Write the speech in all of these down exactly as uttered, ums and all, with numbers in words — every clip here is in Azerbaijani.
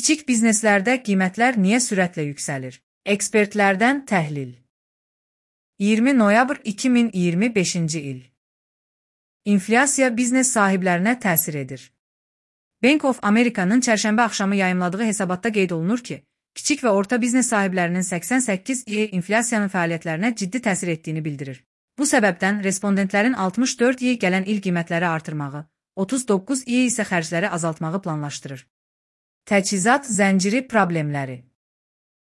Kiçik bizneslərdə qiymətlər niyə sürətlə yüksəlir? Ekspertlərdən təhlil. iyirmi noyabr iki min iyirmi beşinci il. İnflyasiya biznes sahiblərinə təsir edir. Bank of America'nın çərşənbə axşamı yayımladığı hesabatda qeyd olunur ki, kiçik və orta biznes sahiblərinin səksən səkkiz i inflyasiyanın fəaliyyətlərinə ciddi təsir etdiyini bildirir. Bu səbəbdən respondentlərin altmış dörd i gələn il qiymətləri artırmağı, otuz doqquz i isə xərcləri azaltmağı planlaşdırır. Təchizat zənciri problemləri.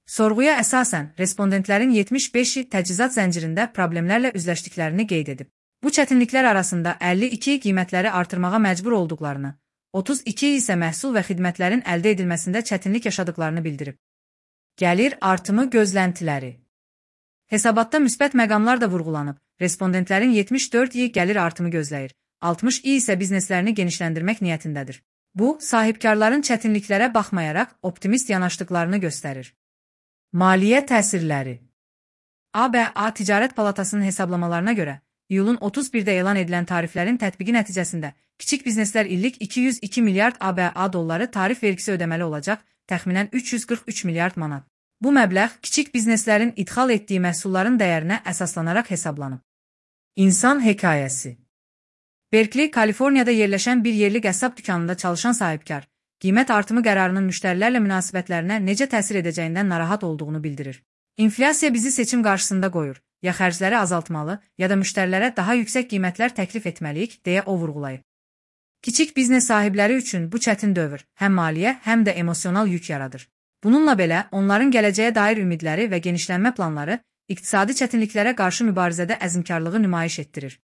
Sorğuya əsasən, respondentlərin yetmiş beş i təchizat zəncirində problemlərlə üzləşdiklərini qeyd edib. Bu çətinliklər arasında əlli iki i qiymətləri artırmağa məcbur olduqlarını, otuz iki i isə məhsul və xidmətlərin əldə edilməsində çətinlik yaşadıqlarını bildirib. Gəlir artımı gözləntiləri. Hesabatda müsbət məqamlar da vurğulanıb, respondentlərin yetmiş dörd i gəlir artımı gözləyir, altmış i isə bizneslərini genişləndirmək niyyətindədir. Bu, sahibkarların çətinliklərə baxmayaraq optimist yanaşdıqlarını göstərir. Maliyyə təsirləri. A B A Ticarət Palatasının hesablamalarına görə, iyulun otuz birdə elan edilən tariflərin tətbiqi nəticəsində kiçik bizneslər illik iki yüz iki milyard A B A dolları tarif vergisi ödəməli olacaq, təxminən üç yüz qırx üç milyard manat. Bu məbləğ kiçik bizneslərin idxal etdiyi məhsulların dəyərinə əsaslanaraq hesablanıb. İnsan hekayəsi. Berkeley, Kaliforniyada yerləşən bir yerli qəssab dükanında çalışan sahibkar, qiymət artımı qərarının müştərilərlə münasibətlərinə necə təsir edəcəyindən narahat olduğunu bildirir. İnflyasiya bizi seçim qarşısında qoyur, ya xərcləri azaltmalı, ya da müştərilərə daha yüksək qiymətlər təklif etməliyik, deyə o vurğulayıb. Kiçik biznes sahibləri üçün bu çətin dövr, həm maliyyə, həm də emosional yük yaradır. Bununla belə, onların gələcəyə dair ümidləri və genişlənmə planları iqtisadi çətinliklərə qarşı mübarizədə əzmkarlığı nümayiş etdirir.